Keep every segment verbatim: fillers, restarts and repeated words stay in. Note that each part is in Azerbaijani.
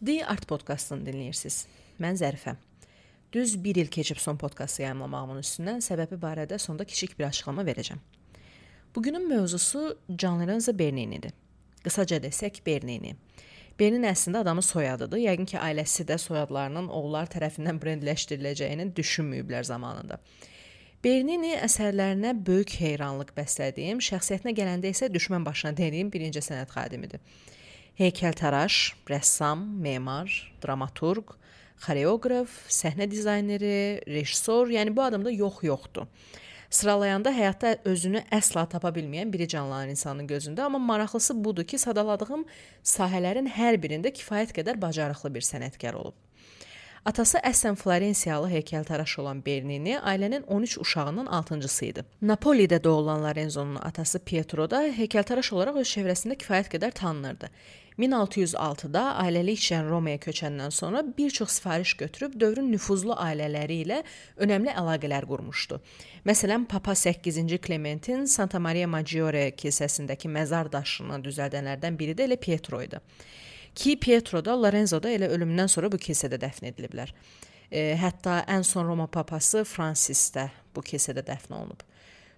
The Art Podcast'ını dinləyirsiniz. Mən Zərifə. Düz bir il keçib son podkastı yayımlamağımın üstündən səbəbi barədə sonda kiçik bir açıqlama verəcəm. Bugünün mövzusu John Lorenzo Bernini'dir. Qısaca desək Bernini. Bernini əslində adamın soyadıdır. Yəqin ki, ailəsi də soyadlarının oğullar tərəfindən brendləşdiriləcəyini düşünməyiblər zamanında. Bernini əsərlərinə böyük heyranlıq bəslədiyim, şəxsiyyətinə gələndə isə düşmən başına dəydiyim birinci sənət xadimidir. Heykəltaraş, rəssam, memar, dramaturq, xoreoqraf, səhnə dizayneri, rejissor, yəni bu adamda yox yoxdur. Sıralayanda həyatda özünü əsla tapa bilməyən biri canlanan insanın gözündə, amma maraqlısı budur ki, sadaladığım sahələrin hər birində kifayət qədər bacarıqlı bir sənətkar olub. Atası əslən Florensiyalı heykəltaraş olan Bernini ailənin on üç uşağının altıncısı idi. Napolidə doğulan Lorenzo'nun atası Pietro da heykəltaraş olaraq öz çevrəsində kifayət qədər tanınırdı. min altı yüz altıda ailəlik işlə Romaya köçəndən sonra bir çox sifariş götürüb dövrün nüfuzlu ailələri ilə önəmli əlaqələr qurmuşdu. Məsələn, Papa səkkizinci Clementin Santa Maria Maggiore kilsəsindəki məzar daşını düzəldənlərdən biri də elə Pietro idi. Ki Pietro da Lorenzo da elə ölümündən sonra bu kilsədə dəfn ediliblər. E, hətta ən son Roma papası Fransis də bu kilsədə dəfn olunub.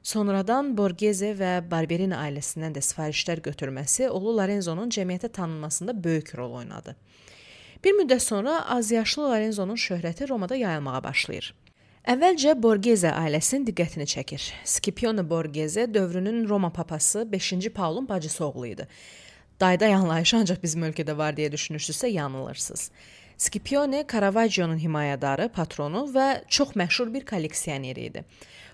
Sonradan Borghese və Barberini ailəsindən də sifarişlər götürməsi oğlu Lorenzo'nun cəmiyyətə tanınmasında böyük rol oynadı. Bir müddət sonra azyaşlı Lorenzo'nun şöhrəti Romada yayılmağa başlayır. Əvvəlcə Borghese ailəsinin diqqətini çəkir. Scipione Borghese dövrünün Roma papası beşinci Paulun bacısı oğlu idi. Dayda yanlayışı ancaq bizim ölkədə var deyə düşünürsünüzsə yanılırsınız. Scipione Caravaggio'nun himayədarı, patronu və çox məşhur bir kolleksiyoneri idi.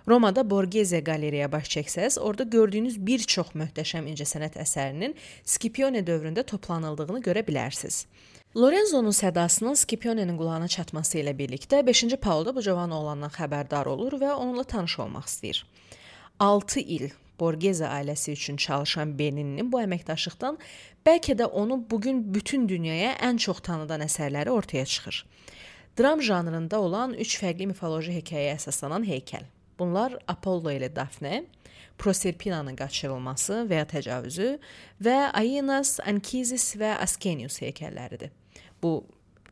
Romada Borghese qalereyaya baş çəksəz, orada gördüyünüz bir çox möhtəşəm incəsənət əsərinin Scipione dövründə toplanıldığını görə bilərsiniz. Lorenzo'nun sədasının Scipione'nin qulağına çatması ilə birlikdə beşinci Paul da bu cavan oğlandan xəbərdar olur və onunla tanış olmaq istəyir. altı il Borghese ailəsi üçün çalışan Bernini'nin bu əməkdaşlıqdan bəlkə də onu bugün bütün dünyaya ən çox tanıdan əsərləri ortaya çıxır. Dram janrında olan üç fərqli mifoloji hekayəyə əsaslanan heykəl. Bunlar Apollo ilə Dafne, Proserpina'nın qaçırılması və ya təcavüzü və Aeneas, Anchises və Ascanius heykəlləridir. Bu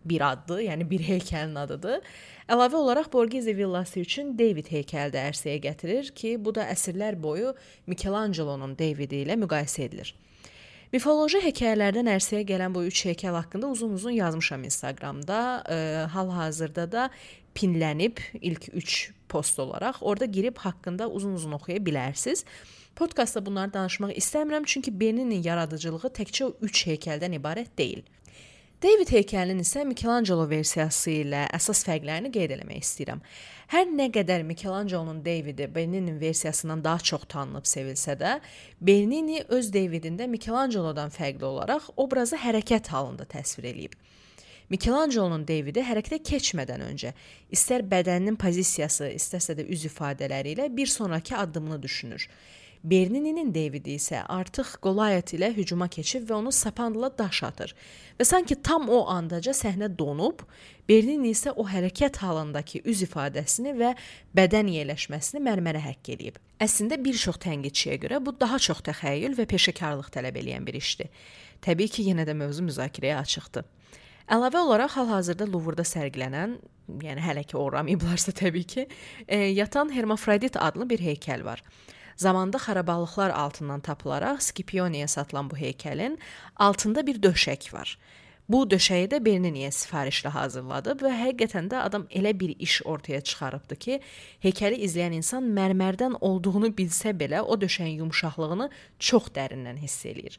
bir addır, yəni bir heykəlin adıdır. Əlavə olaraq Borghese villası üçün David heykəli də ərsəyə gətirir ki, bu da əsrlər boyu Michelangelo'nun Davidi ilə müqayisə edilir. Mifoloji hekayələrdən ərsəyə gələn bu üç heykəl haqqında uzun-uzun yazmışam Instagramda. E, hal-hazırda da pinlənib ilk üç post olaraq orada girib haqqında uzun-uzun oxuya bilərsiniz. Podkastda bunları danışmaq istəmirəm, çünki Bernini'nin yaradıcılığı təkcə o üç heykəldən ibarət deyil. David heykəlinin isə Michelangelo versiyası ilə əsas fərqlərini qeyd etmək istəyirəm. Hər nə qədər Michelangelo'nun Davidi Bernini'nin versiyasından daha çox tanınıb sevilsə də, Bernini öz Davidində Michelangelo'dan fərqli olaraq obrazı hərəkət halında təsvir edib. Michelangelo'nun Davidi hərəkətə keçmədən öncə istər bədəninin pozisiyası, istərsə də üz ifadələri ilə bir sonraki addımını düşünür. Bernini'nin Davidi isə artıq Goliath ilə hücuma keçib və onu sapanla daş atır. Və sanki tam o andaca səhnə donub, Bernini isə o hərəkət halındakı üz ifadəsini və bədən yerləşməsini mərmərə həkk edib. Əslində bir çox tənqidçiyə görə bu daha çox təxəyyül və peşəkarlıq tələb edən bir işdir. Təbii ki, yenə də mövzu müzakirəyə açıqdır. Əlavə olaraq hal-hazırda Louvre'da sərgilənən, yəni hələ ki uğramayıblarsa təbii ki, e, yatan Hermafrodit adlı bir heykəl var. Zamanda xarabalıqlar altından tapılaraq Scipione'yə satılan bu heykəlin altında bir döşək var. Bu döşəyi də Bernini'yə sifarişlə hazırladıb və həqiqətən də adam elə bir iş ortaya çıxarıbdı ki, heykəli izləyən insan mərmərdən olduğunu bilsə belə o döşəyin yumşaqlığını çox dərindən hiss eləyir.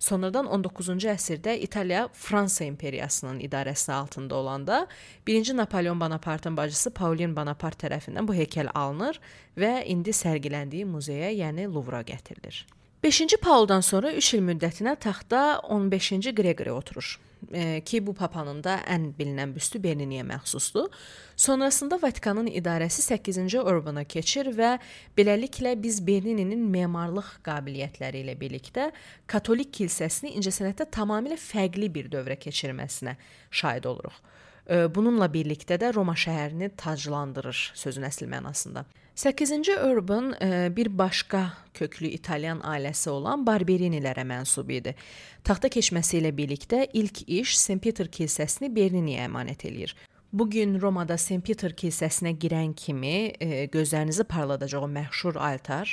Sonradan on doqquzuncu əsrdə İtaliya Fransa imperiyasının idarəsi altında olanda birinci Napolyon Bonapartın bacısı Pauline Bonaparte tərəfindən bu heykəl alınır və indi sərgiləndiyi muzeyə, yəni Louvre'a gətirilir. beşinci Pauldan sonra üç il müddətinə taxtda on beşinci Gregory oturur. E, ki bu papanın da ən bilinən büstü Bernini'yə məxsusdur. Sonrasında Vatikanın idarəsi səkkizinci Urbana keçir və beləliklə biz Bernini'nin memarlıq qabiliyyətləri ilə birlikdə Katolik kilsəsini incəsənətdə tamamilə fərqli bir dövrə keçirməsinə şahid oluruq. Bununla birlikdə də Roma şəhərini taclandırır sözün əsl mənasında. səkkizinci Urban bir başqa köklü İtalyan ailəsi olan Barberinilərə mənsub idi. Taxta keçməsi ilə birlikdə ilk iş Saint Peter kilsəsini Berniniyə əmanət eləyir. Bugün Romada Saint Peter kilsəsinə girən kimi e, gözlərinizi parladacaq o məşhur altar,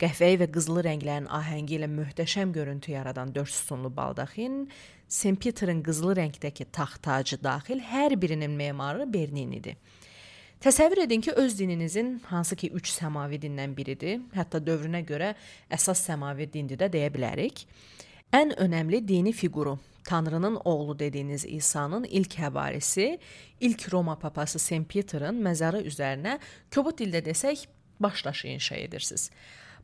qəhvəyi və qızılı rənglərin ahəngi ilə möhtəşəm görüntü yaradan dörd sütunlu baldaxin, Saint Peter'ın qızılı rəngdəki taxt tacı daxil hər birinin memarı Berninidir. Təsəvvür edin ki, öz dininizin hansı ki üç səmavi dindən biridir, hətta dövrünə görə əsas səmavi dindir də deyə bilərik. Ən önəmli dini fiquru, Tanrının oğlu dediyiniz İsa'nın ilk həvarisi, ilk Roma papası Saint Peter'ın məzarı üzərinə kobud dildə desək başdaşı inşa edirsiniz.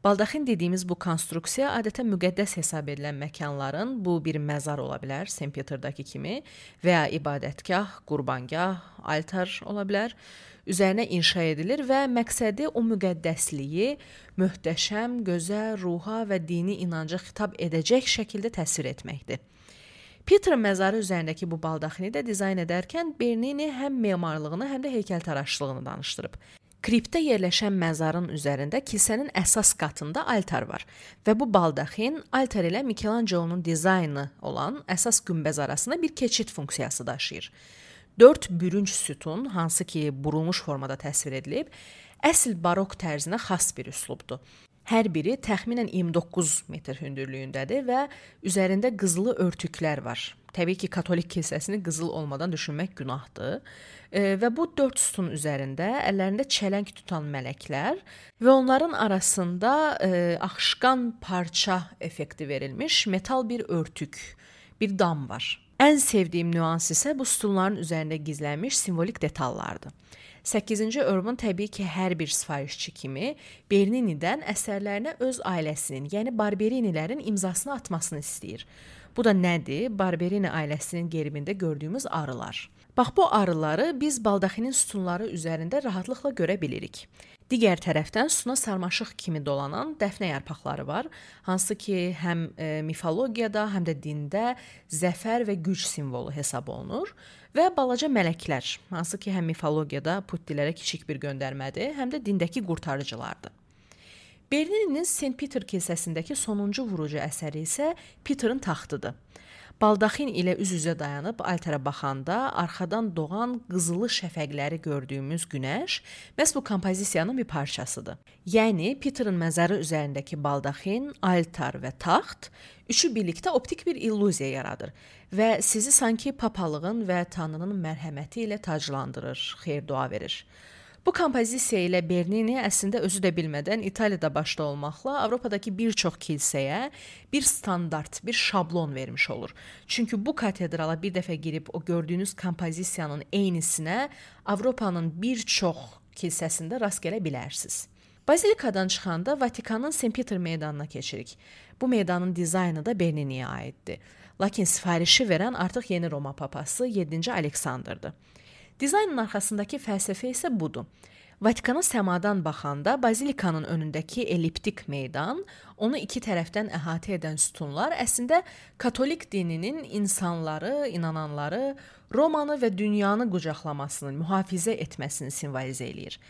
Baldaxin dediyimiz bu konstruksiya adətən müqəddəs hesab edilən məkanların, bu bir məzar ola bilər, Saint Peter'dakı kimi, və ya ibadətgah, qurbangah, altar ola bilər, üzərinə inşa edilir və məqsədi o müqəddəsliyi möhtəşəm, gözəl, ruha və dini inanca xitab edəcək şəkildə təsvir etməkdir. Peter'ın məzarı üzərindəki bu baldaxini də dizayn edərkən Bernini həm memarlığını, həm də heykəltaraşlığını danışdırıb. Kriptdə yerləşən məzarın üzərində kilsənin əsas qatında altar var və bu baldaxin altar ilə Michelangelo'nun dizaynı olan əsas günbəz arasında bir keçid funksiyası daşıyır. Dörd bürünc sütun, hansı ki burulmuş formada təsvir edilib, əsl barok tərzinə xas bir üslubdur. Hər biri təxminən iyirmi doqquz metr hündürlüyündədir və üzərində qızılı örtüklər var. Təbii ki, katolik kilsəsini qızıl olmadan düşünmək günahdır. E, və bu dörd sütun üzərində əllərində çələng tutan mələklər və onların arasında e, axışqan parça effekti verilmiş metal bir örtük, bir dam var. Ən sevdiyim nüans isə bu sütunların üzərində gizlənmiş simvolik detallardır. səkkizinci Urban təbii ki, hər bir sifarişçi kimi Bernini'dən əsərlərinə öz ailəsinin, yəni Barberinilərin imzasını atmasını istəyir. Bu da nədir? Barberini ailəsinin gerbində gördüyümüz arılar. Bax, bu arıları biz baldaxinin sütunları üzərində rahatlıqla görə bilirik. Digər tərəfdən sütuna sarmaşıq kimi dolanan dəfnə yarpaqları var, hansı ki, həm e, mifologiyada, həm də dində zəfər və güc simvolu hesab olunur və balaca mələklər, hansı ki, həm mifologiyada puttilərə kiçik bir göndərmədir, həm də dindəki qurtarıcılardır. Bernini'nin Saint Peter kilsəsindəki sonuncu vurucu əsəri isə Peter'ın taxtıdır. Baldaxin ilə üz-üzə dayanıb altara baxanda arxadan doğan qızılı şəfəqləri gördüyümüz günəş məhz bu kompozisiyanın bir parçasıdır. Yəni Peter'ın məzarı üzərindəki baldaxin, altar və taxt üçü birlikdə optik bir illüziya yaradır və sizi sanki papalığın və Tanrının mərhəməti ilə taclandırır, xeyir-dua verir. Bu kompozisiya ilə Bernini əslində özü də bilmədən İtaliyada başda olmaqla Avropadakı bir çox kilsəyə bir standart, bir şablon vermiş olur. Çünki bu katedrala bir dəfə girib o gördüyünüz kompozisiyanın eynisinə Avropanın bir çox kilsəsində rast gələ bilərsiniz. Bazilikadan çıxanda Vatikanın Saint Peter meydanına keçirik. Bu meydanın dizaynı da Bernini'yə aiddir. Lakin sifarişi verən artıq yeni Roma papası yeddinci Aleksandrdır. Dizaynın arxasındakı fəlsəfə isə budur. Vatikana səmadan baxanda bazilikanın önündəki elliptik meydan, onu iki tərəfdən əhatə edən sütunlar əslində katolik dininin insanları, inananları, Romanı və dünyanı qucaqlamasını, mühafizə etməsini simvolizə eləyir.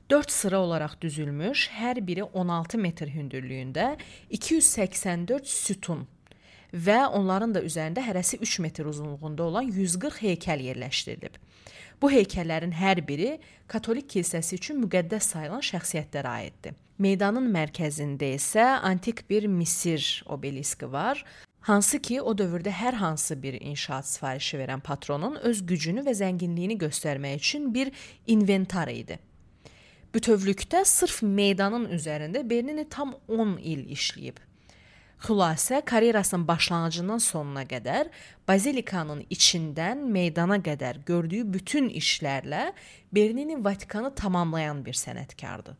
Dörd sıra olaraq düzülmüş, hər biri on altı metr hündürlüyündə iki yüz səksən dörd sütun və onların da üzərində hərəsi üç metr uzunluğunda olan yüz qırx heykəl yerləşdirilib. Bu heykəllərin hər biri katolik kilsəsi üçün müqəddəs sayılan şəxsiyyətlərə aiddir. Meydanın mərkəzində isə antik bir Misir obeliski var, hansı ki o dövrdə hər hansı bir inşaat sifarişi verən patronun öz gücünü və zənginliyini göstərmək üçün bir inventar idi. Bütövlükdə sırf meydanın üzərində Bernini tam on il işləyib. Xülasə, karyerasının başlanğıcından sonuna qədər bazilikanın içindən meydana qədər gördüyü bütün işlərlə Bernini Vatikanı tamamlayan bir sənətkardır.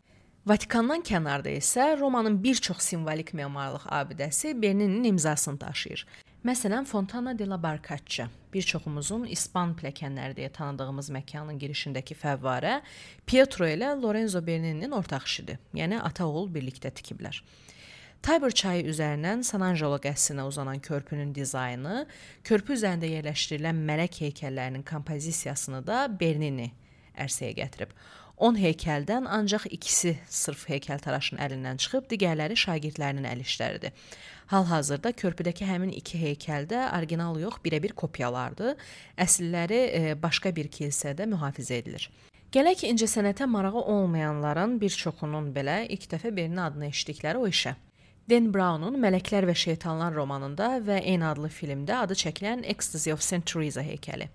Vatikandan kənarda isə Romanın bir çox simvolik memarlıq abidəsi Bernini'nin imzasını daşıyır. Məsələn, Fontana de la Barcaccia, bir çoxumuzun İspan pilləkənləri deyə tanıdığımız məkanın girişindəki fəvvarə Pietro ilə Lorenzo Bernini'nin ortaq işidir, yəni ata-oğul birlikdə tikiblər. Tiber çayı üzərindən San Angelo qəsrinə uzanan körpünün dizaynı, körpü üzərində yerləşdirilən mələk heykəllərinin kompozisiyasını da Bernini ərsəyə gətirib. on heykəldən ancaq ikisi sırf heykəltaraşın əlindən çıxıb, digərləri şagirdlərinin əl işləridir. Hal-hazırda körpüdəki həmin iki heykəldə orijinal yox, birə-bir kopyalardır. Əsilləri e, başqa bir kilsədə mühafizə edilir. Gələk incəsənətə marağı olmayanların bir çoxunun belə ilk dəfə Bernini adını eşitdikləri o işə. Dan Brown'un Mələklər və Şeytanlar romanında və eyni adlı filmdə adı çəkilən Ecstasy of Saint Teresa heykəli.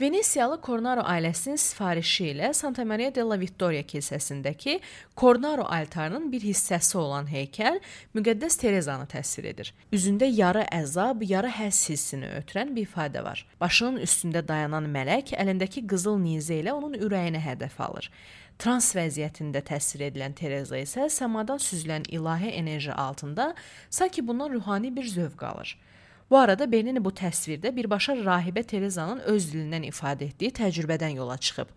Venesiyalı Cornaro ailəsinin sifarişi ilə Santa Maria della Vittoria kilsəsindəki Cornaro altarının bir hissəsi olan heykəl müqəddəs Terezanı təsvir edir. Üzündə yarı əzab, yarı həss hissini ötürən bir ifadə var. Başının üstündə dayanan mələk əlindəki qızıl nizə ilə onun ürəyini hədəf alır. Trans vəziyyətində təsvir edilən Tereza isə səmadan süzülən ilahi enerji altında sanki bundan ruhani bir zövq alır. Bu arada Bernini bu təsvirdə birbaşa rahibə Terezanın öz dilindən ifadə etdiyi təcrübədən yola çıxıb.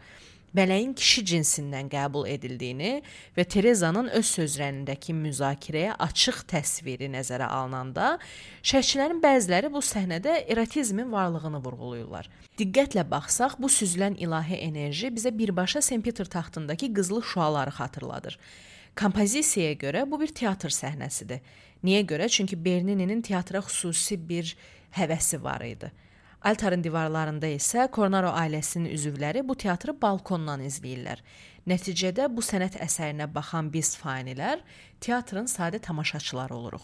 Mələyin kişi cinsindən qəbul edildiyini və Terezanın öz sözlərindəki müzakirəyə açıq təsviri nəzərə alınanda, şərhçilərin bəziləri bu səhnədə erotizmin varlığını vurğulayırlar. Diqqətlə baxsaq, bu süzülən ilahi enerji bizə birbaşa Saint Peter taxtındakı qızılı şüaları xatırladır. Kompozisiyaya görə bu bir teatr səhnəsidir. Niyə görə? Çünki Bernini'nin teatra xüsusi bir həvəsi var idi. Altarın divarlarında isə Cornaro ailəsinin üzvləri bu teatrı balkondan izləyirlər. Nəticədə bu sənət əsərinə baxan biz fanilər teatrın sadə tamaşaçıları oluruq.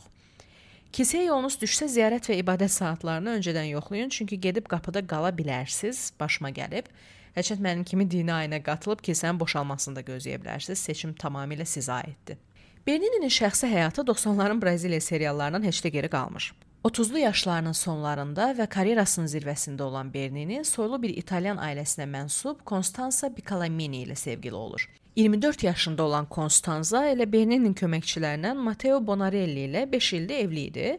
Kilsəyə yolunuz düşsə ziyarət və ibadət saatlarını öncədən yoxlayın, çünki gedib qapıda qala bilərsiniz, başıma gəlib. Həçət mənim kimi dini ayına qatılıb kilsənin boşalmasını da gözləyə bilərsiniz. Seçim tamamilə sizə aiddir. Bernini'nin şəxsi həyatı doxsanların Braziliya seriallarından heç də geri qalmır. otuzlu yaşlarının sonlarında və karyerasının zirvəsində olan Bernini soylu bir İtalyan ailəsinə mənsub Constanza Piccolomini ilə sevgili olur. iyirmi dörd yaşında olan Constanza elə Bernini'nin köməkçilərindən Matteo Bonarelli ilə beş ildə evli idi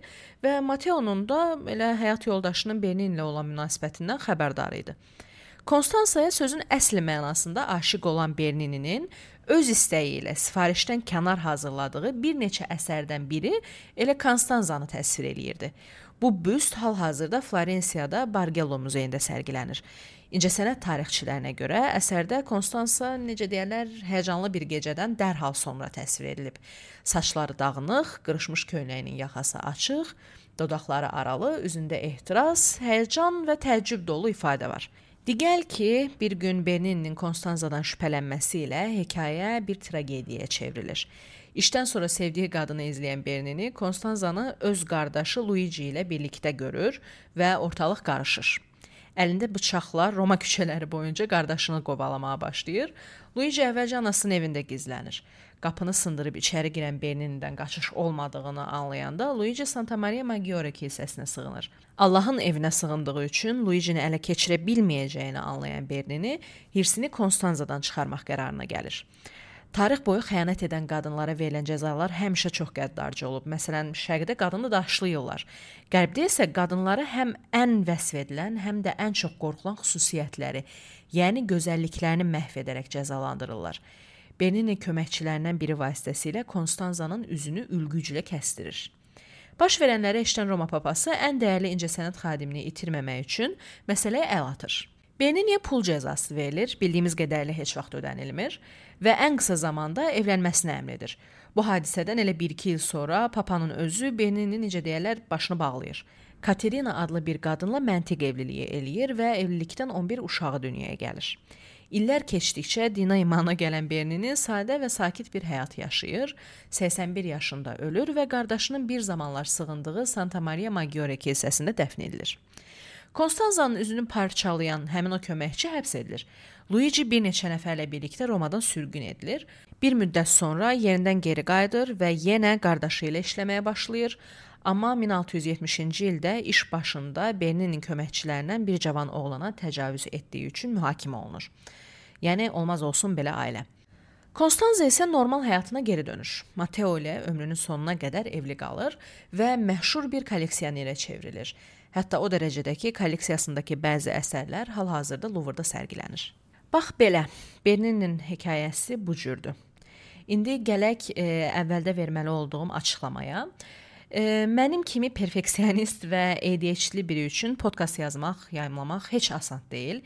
və Matteo'nun da elə həyat yoldaşının Bernini ilə olan münasibətindən xəbərdar idi. Constanza'ya sözün əsli mənasında aşiq olan Bernini'nin öz istəyi ilə sifarişdən kənar hazırladığı bir neçə əsərdən biri elə Constanza'nı təsvir eləyirdi. Bu büst hal-hazırda Florensiyada Bargello muzeyində sərgilənir. İncəsənət tarixçilərinə görə əsərdə Constanza, necə deyərlər, həyəcanlı bir gecədən dərhal sonra təsvir edilib. Saçları dağınıq, qırışmış köynəyinin yaxası açıq, dodaqları aralı, üzündə ehtiras, həyəcan və təəccüb dolu ifadə var. Digəl ki, bir gün Bernini'nin Constanza'dan şübhələnməsi ilə hekayə bir tragediyaya çevrilir. İşdən sonra sevdiyi qadını izləyən Bernini, Constanza'nı öz qardaşı Luigi ilə birlikdə görür və ortalıq qarışır. Əlində bıçaqlar Roma küçələri boyunca qardaşını qovalamağa başlayır. Luigi əvvəlcə anasının evində gizlənir. Qapını sındırıb içəri girən Bernini'dən qaçış olmadığını anlayanda Luigi Santa Maria Maggiore kilsəsinə sığınır. Allahın evinə sığındığı üçün Luigi'ni ələ keçirə bilməyəcəyini anlayan Bernini hirsini Constanza'dan çıxarmaq qərarına gəlir. Tarix boyu xəyanət edən qadınlara verilən cəzalar həmişə çox qəddarcı olub. Məsələn, şərqdə qadını daşlayırlar. Qərbdə isə qadınlara həm ən vəsf edilən, həm də ən çox qorxulan xüsusiyyətləri, yəni gözəlliklərini məhv edərək cəzalandırırlar. Bernini köməkçilərindən biri vasitəsilə Constanza'nın üzünü ülgüclə kəstirir. Baş verənləri eşidən Roma papası ən dəyərli incəsənət xadimini itirməmək üçün məsələyə əl atır. Bernini'yə pul cəzası verilir, bildiyimiz qədərlə heç vaxt ödənilmir və ən qısa zamanda evlənməsini əmr edir. Bu hadisədən elə bir-iki il sonra papanın özü Bernini, necə deyərlər, başını bağlayır. Katerina adlı bir qadınla məntiq evliliyi eləyir və evlilikdən on bir uşağı dünyaya gəlir. İllər keçdikcə dina imana gələn Bernini sadə və sakit bir həyat yaşayır, səksən bir yaşında ölür və qardaşının bir zamanlar sığındığı Santa Maria Maggiore kilsəsində dəfn edilir. Constanza'nın üzünü parçalayan həmin o köməkçi həbs edilir. Luigi bir neçə nəfərlə birlikdə Romadan sürgün edilir. Bir müddət sonra yerindən geri qayıdır və yenə qardaşı ilə işləməyə başlayır. Amma min altı yüz yetmişinci ildə iş başında Bernini'nin köməkçilərindən bir cavan oğlana təcavüz etdiyi üçün mühakimə olunur. Yəni, olmaz olsun belə ailə. Constanza isə normal həyatına geri dönür. Matteo ilə ömrünün sonuna qədər evli qalır və məşhur bir kolleksiyonerə çevrilir. Hətta o dərəcədə ki, kolleksiyasındakı bəzi əsərlər hal-hazırda Louvre'da sərgilənir. Bax belə, Bernini'nin hekayəsi bu cürdür. İndi gələk e, əvvəldə verməli olduğum açıqlamaya. E, mənim kimi perfeksionist və A D H D biri üçün podkast yazmaq, yayımlamaq heç asan deyil.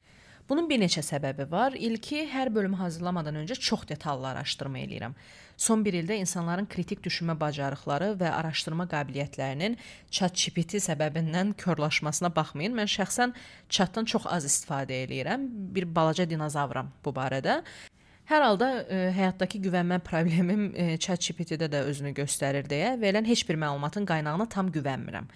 Bunun bir neçə səbəbi var. İlki, hər bölümü hazırlamadan öncə çox detallı araşdırma eləyirəm. Son bir ildə insanların kritik düşünmə bacarıqları və araşdırma qabiliyyətlərinin ChatGPT səbəbindən körlaşmasına baxmayın. Mən şəxsən chatdan çox az istifadə eləyirəm. Bir balaca dinozavram bu barədə. Hər halda e, həyatdakı güvənmə problemim e, ChatGPT-də də özünü göstərir deyə verilən heç bir məlumatın qaynağına tam güvənmirəm.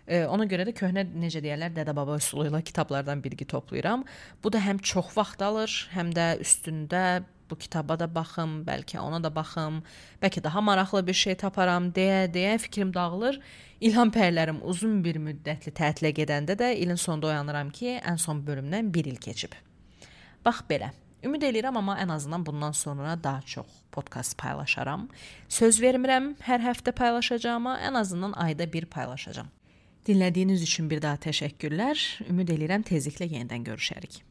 E, ona görə də köhnə, necə deyirlər, dədə-baba üsulu ilə kitablardan bilgi toplayıram. Bu da həm çox vaxt alır, həm də üstündə bu kitaba da baxım, bəlkə ona da baxım, bəlkə daha maraqlı bir şey taparam deyə deyə fikrim dağılır. İlham pərlərim uzun bir müddətli tətilə gedəndə də ilin sonunda oyanıram ki, ən son bölümdən bir il keçib. Bax belə. Ümid eləyirəm, amma ən azından bundan sonra daha çox podkast paylaşaram. Söz vermirəm hər həftə paylaşacağıma, ən azından ayda bir paylaşacağam. Dinlədiyiniz üçün bir daha təşəkkürlər. Ümid eləyirəm tezliklə yenidən görüşərik.